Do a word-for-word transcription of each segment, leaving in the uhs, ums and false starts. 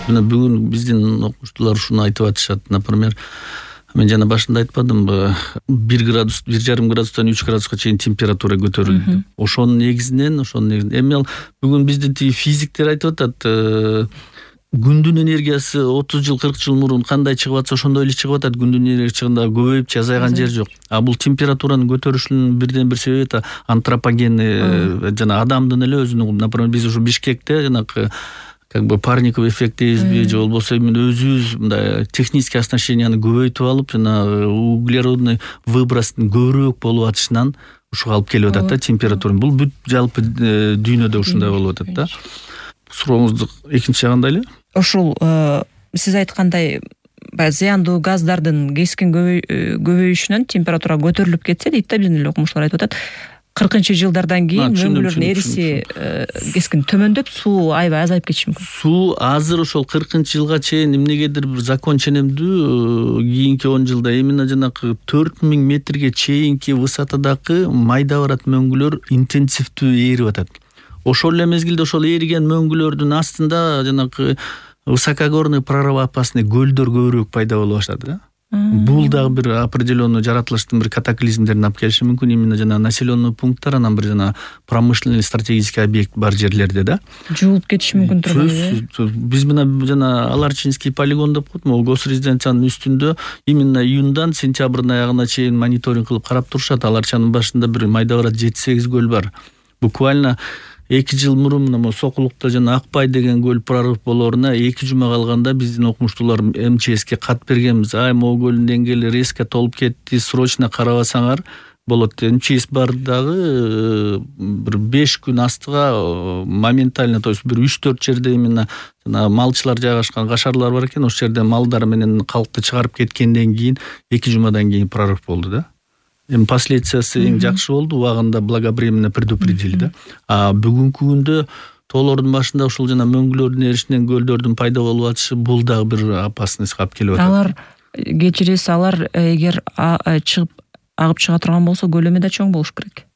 Мына бүгүн биздин окумуштуулар ушуну айтып атышат. Например, мен жана башында айтпадымбы, бир градус, бир жарым градустан үч градуска чейин температура көтөрүлдү. Ошонун негизинен, ошонун негизинен эми ал бүгүн биздин тиги физиктер айтып атат, күндүн энергиясы отуз жыл, кырк жыл мурун кандай чыгып атса, ошондой эле чыгып атат. Күндүн энергиясы чыгында көбөйүп же азайган жер жок. А бул температуранын көтөрүлүшүнүн бирден бир себеби антропогенный, жана адамдын эле өзүнүн, например, биз ушу Бишкекте жанагы как бы парниковый эффект дейбизби, же болбосо эми өзүбүз мындай технический оснащенияны көбөйтүп алып, жана углеродный выбростун көбүрөөк болуп атышынан ушуга алып келип атат да температура. Бул бүт жалпы дүйнөдө ушундай болуп атат да. Сурооңуздун экинчи жагында эле ушул сиз айткандай баягы зыяндуу газдардын кескин көбөйүшүнөн температура көтөрүлүп кетсе дейт да, биздин эле окумуштуулар айтып атат. кыркынчы жылдардан кийин мөңгүлөрдүн эриси кескин төмөндөп, суу аябай азайып кетиши мүмкүн. Суу азыр ошол кыркынчы жылга чейин эмнегедир бир закон ченемдүү кийинки он жылда именно жанагы төрт миң метрге чейинки высотадагы майда барат мөңгүлөр интенсивдүү ээрип атат. Ошол эле мезгилде ошол ээриген мөңгүлөрдүн астында жанагы высокогорный прорывоопасный көлдөр көбүрөөк пайда боло баштады да. Бул дагы бир определенный жаратылыштын бир катаклизмдерин алып келиши мүмкүн. Именно жана населенный пункттар, анан бир жана промышленный стратегический объект бар жерлерде да жуулуп кетиши мүмкүн турбайбы? Биз мына жана Аларчинский полигон деп коет, могу госрезиденциянын үстүндө именно июндан сентябрдын аягына чейин мониторинг кылып карап турушат. Аларчанын башында бир майда барат жети сегиз көл бар. Буквально эки жыл мурун мына Сокулукта жана Акбай деген көл прорыв болоруна эки жума калганда биздин окумуштуулар эм че эске кат бергенбиз. Ай, могу көлдүн деңгээли резко толуп кетти, срочно карабасаңар болот. эм че эс бар дагы бир беш күн астыга моментально, то есть бир үч төрт жерде именно жана малчылар жайгашкан кашарлар бар экен, ошол жерде малдар менен калкты чыгарып кеткенден кийин эки жумадан кийин прорыв болду да. Эми последствиясы эң жакшы болду, убагында благоприеменно предупредили да. А бүгүнкү күндө тоолордун башында ушул жана мөңгүлөрдүн эришинен көлдөрдүн пайда болуп атышы бул дагы бир опасностьга алып келип атат. Алар кечиресиз, алар эгер чыгып агып чыга турган болсо көлөмү да чоң болуш керек.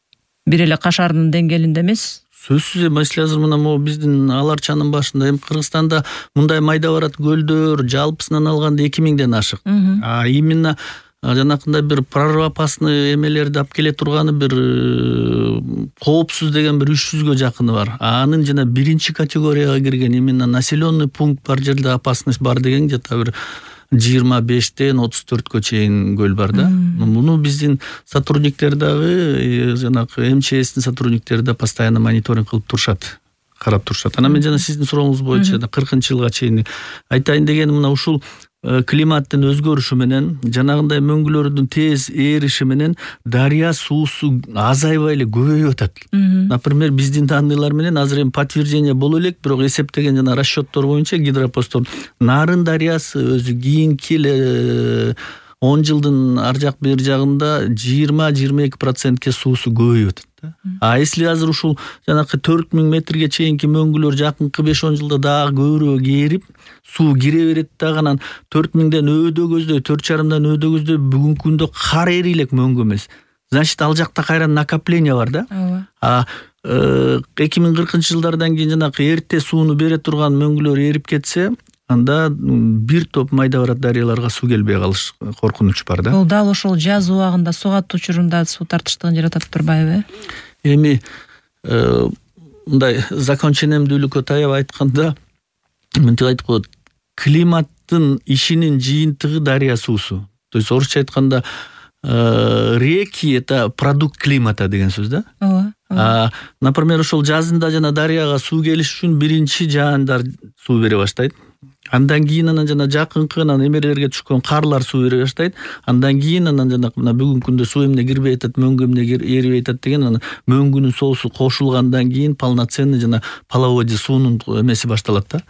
Бир эле кашардын деңгээлинде эмес. Сөзсүз эми азыр мына могу биздин Аларчанын башында эми Кыргызстанда мындай майда барат көлдөр жалпысынан алганда эки миңден ашык. А именно жанакындай бир прорывоопасный эмелерди алып келе турганы бир коопсуз деген бир үч жүзгө жакыны бар. Анын жана биринчи категорияга кирген именно населенный пункт бар жерде опасность бар деген жата бир жыйырма бештен отуз төрткө чейин көл бар да. Муну биздин сотрудниктер дагы жанагы эм че эстин сотрудниктери да постоянно мониторинг кылып турушат, карап турушат. Анан мен жана сиздин сурооңуз боюнча кыркынчы жылга чейин айтайын дегеним мына ушул климаттын өзгөрүшү менен жанагындай мөңгүлөрдүн тез ээриши менен дарыя суусу азайбай эле көбөйүп атат. Например, биздин данныйлар менен азыр эми подтверждение боло элек, бирок эсептеген жана расчеттор боюнча гидропостор Нарын дарыясы өзү кийинки эле он жылдын ар жак бер жагында жыйырма жыйырма эки процентке суусу көбөйүп атат. А если азыр ушул жанакы төрт миң метрге чейинки мөңгүлөр жакынкы беш он жылда дагы көбүрөөк ээрип, суу кире берет дагы, анан төрт миңден өйдө көздөй, төрт жарымдан өйдө көздөй бүгүнкү күндө кар эри элек мөңгү эмес. Значит, ал жакта кайра накопление бар да. А эки миң кыркынчы жылдардан кийин жанакы эрте сууну бере турган мөңгүлөр ээрип кетсе, анда бир топ майда барат дарыяларга суу келбей калыш коркунуч бар да. Бул дал ошол жаз убагында суу каттуу учурунда суу тартыштыгын жаратат турбайбы? Эми мындай закон ченемдүүлүккө таяп айтканда мынтип айтып коет, климаттын ишинин жыйынтыгы дарыя суусу. То есть орусча айтканда реки это продукт климата деген сөз да. Ооба. Например, ошол жазында жана дарыяга суу келиш үчүн биринчи жаандар суу бере баштайт. Андан кийин анан жана жакынкы анан эмелерге түшкөн карлар суу бере баштайт. Андан кийин анан жана мына бүгүнкү күндө суу эмне кирбей атат, мөңгү эмне эрибей атат деген анан мөңгүнүн соосу кошулгандан кийин полноценный жана половодье суунун эмеси башталат да.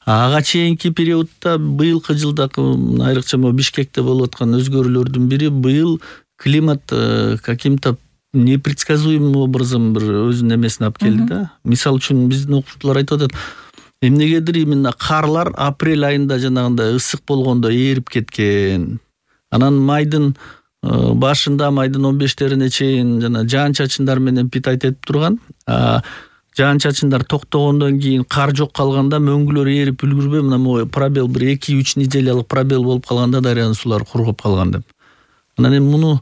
Ага чейинки периодда быйылкы жылда айрыкча Бишкекте болуп аткан өзгөрүүлөрдүн бири быйыл климат каким-то непредсказуемым образом бир өзүнүн эмесин алып келди да. Мисалы үчүн биздин окумуштуулар айтып атат, эмнегедир именно карлар апрель айында жанагындай ысык болгондо ээрип кеткен. Анан майдын башында, майдын он бештерине чейин жана жаан чачындар менен питать этип турган. жаан чачындар токтогондон кийин кар жок калганда мөңгүлөр эрип үлгүрбөй мына могу пробел бир эки үч неделялык пробел болуп калганда дарыянын суулары кургап калган деп. Анан эми муну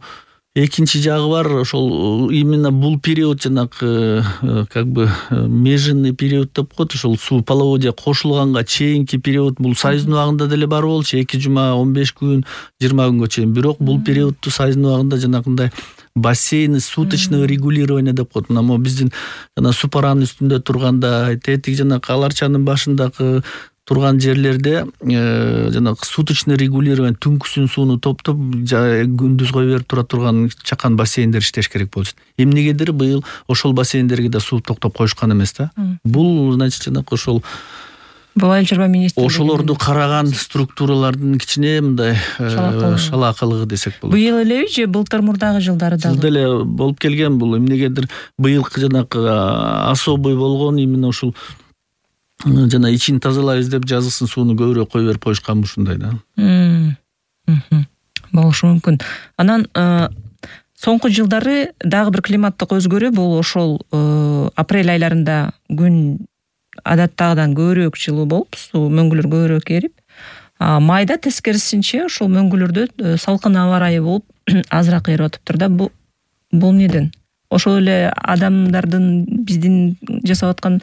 экинчи жагы бар, ошол именно бул период жанагы как бы межинный период деп коет, ошол суу половодья кошулганга чейинки период бул сайыздын убагында деле бар болчу, эки жума он беш күн жыйырма күнгө чейин. Бирок бул периодту сайыздын убагында жанагындай бассейн суточного регулирования деп коет. Мына могу биздин жана Супаранын үстүндө турганда, тетик жана Алар чанын башындагы турган жерлерде жанагы суточный регулирование түнкүсүн сууну топтоп күндүз кое берип тура турган чакан бассейндер иштеш керек болчу. Эмнегедир быйыл ошол бассейндерге да суу токтоп коюшкан эмес да. Бул значит жанагы ошол бул Айыл чарба министрлиги ошолорду караган структуралардын кичине мындай шалаакылыгы десек болот. Быйыл элеби же былтыр мурдагы жылдары дагы? Бул деле болуп келген. Бул эмнегедир быйылкы жанагы особый болгон именно ушул жана ичин тазалайбыз деп жазгысын сууну көбүрөөк кое берип коюшкан ушундай да. Болушу мүмкүн. Анан соңку жылдары дагы бир климаттык өзгөрүү бул ошол апрель айларында күн адаттагыдан көбүрөөк жылуу болуп, суу мөңгүлөр көбүрөөк эрип, майда тескерисинче ошол мөңгүлөрдө салкын аба ырайы болуп азыраак эрип атыптыр да. Бул бул эмнеден? Ошол эле адамдардын биздин жасап аткан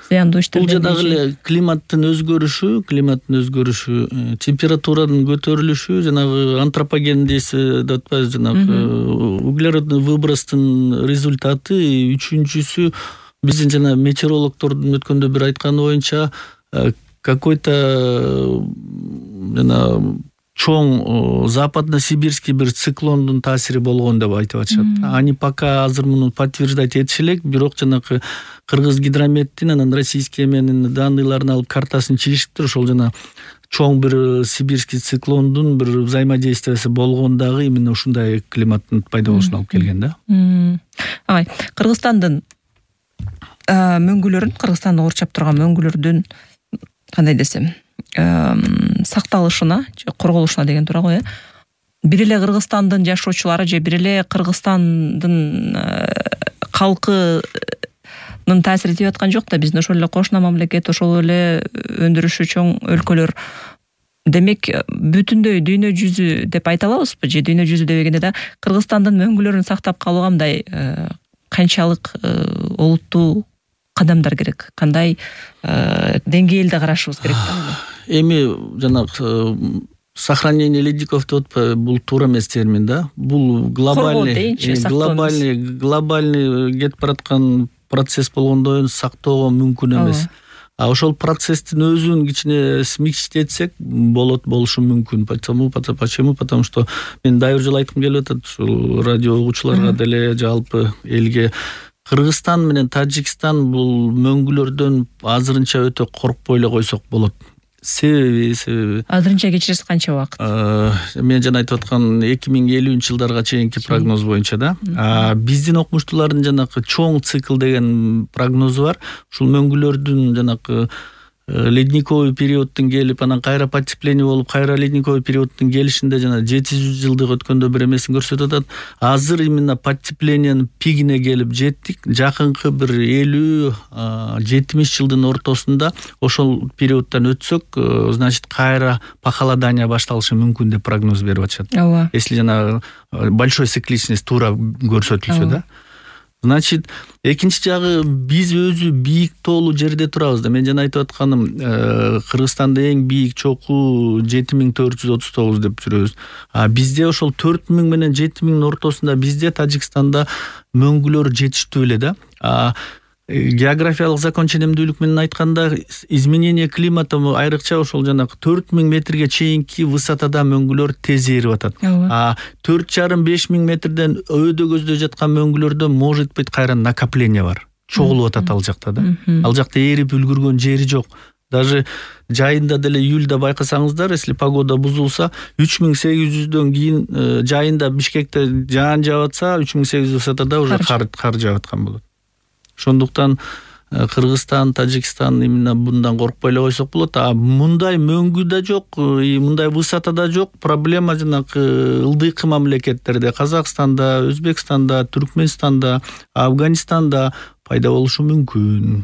зыяндуу иштер. Бул жадагы эле климаттын өзгөрүшү, климаттын өзгөрүшү, температуранын көтөрүлүшү, жанагы антропоген дейси деп атпайбыз, жанагы углеродный выбростун результаты. Үчүнчүсү биздин жана метеорологдордун өткөндө бир айтканы боюнча какой-то жана чоң западно-сибирский бир циклондун таасири болгон деп айтып атышат. Они пока азыр муну подтверждать этиши элек, бирок жанагы Кыргыз гидрометтин анан российский эменин данныйларын алып картасын чыгышыптыр. Ошол жана чоң бир сибирский циклондун бир взаимодействиясы болгондагы именно ушундай климаттын пайда болушуна алып келген да. Ай, Кыргызстандын мөңгүлөрүн, Кыргызстанды курчап турган мөңгүлөрдүн кандай десем, сакталышына же корголушуна деген туура го, э. Бир эле Кыргызстандын жашоочулары же бир эле Кыргызстандын калкынын таасири тийип аткан жок да. Биздин ошол эле кошуна мамлекет, ошол эле өндүрүшү чоң өлкөлөр. Демек, бүтүндөй дүйнө жүзү деп айта алабызбы же дүйнө жүзү дебегенде да Кыргызстандын мөңгүлөрүн сактап калууга мындай канчалык олуттуу кадамдар керек? Кандай деңгээлде карашыбыз керек да? Эми жанагы сохранение ледников деп атпайбы, бул туура эмес термин да. Бул глобальный глобальный глобальный кетип бараткан процесс болгондон сактоого мүмкүн эмес. А ошол процесстин өзүн кичине смягчитсек болот, болушу мүмкүн. Почему? Почему? Потому что мен дайыр жолу айткым келип атат ушул радио угуучуларга деле, жалпы элге. Кыргызстан менен Тажикстан бул мөңгүлөрдөн азырынча өтө коркпой эле койсок болот. Себеби, себеби. Азырынча кечиресиз канча убакыт? Мен жана айтып аткан эки миң элүүнчү жылдарга чейинки прогноз боюнча да. Биздин окумуштуулардын жанагы чоң цикл деген прогнозу бар. Ушул мөңгүлөрдүн жанагы ледниковый периодтун келип, анан кайра потепление болуп, кайра ледниковый периодтун келишинде жана жети жүз жылдык өткөндө бир эмесин көрсөтүп атат. Азыр именно потеплениянын пигине келип жеттик. Жакынкы бир элүү жетимиш жылдын ортосунда ошол периодтан өтсөк, значит, кайра похолодание башталышы мүмкүн деп прогноз берип атышат. Если жана большой цикличность туура көрсөтүлсө да. Значит, экинчи жагы биз өзү бийик тоолуу жерде турабыз да. Мен жана айтып атканым, Кыргызстанда эң бийик чокуу жети миң төрт жүз отуз тогуз деп жүрөбүз. А бизде ошол төрт миң менен жети миңдин ортосунда бизде Тажикстанда мөңгүлөр жетиштүү эле да. А географиялык закон ченемдүүлүк менен айтканда, изменение климата айрыкча ошол жанагы төрт миң метрге чейинки высотада мөңгүлөр тез эрип атат. А төрт жарым беш миң метрден өйдө көздө жаткан мөңгүлөрдө может быть кайра накопление бар. Чогулуп атат ал жакта да. Ал жакта эрип үлгүргөн жери жок. Даже жайында деле июльда байкасаңыздар, если погода бузулса, үч миң сегиз жүздөн кийин жайында Бишкекте жаан жаап атса, үч миң сегиз жүз высотада уже кар кар жаап аткан болот. Ошондуктан Кыргызстан, Тажикстан именно мындан коркпой эле койсок болот. А мындай мөңгү да жок, мындай высота да жок. Проблема жанагы ылдыйкы мамлекеттерде, Казакстанда, Өзбекстанда, Түркмөнстанда, Афганистанда пайда болушу мүмкүн.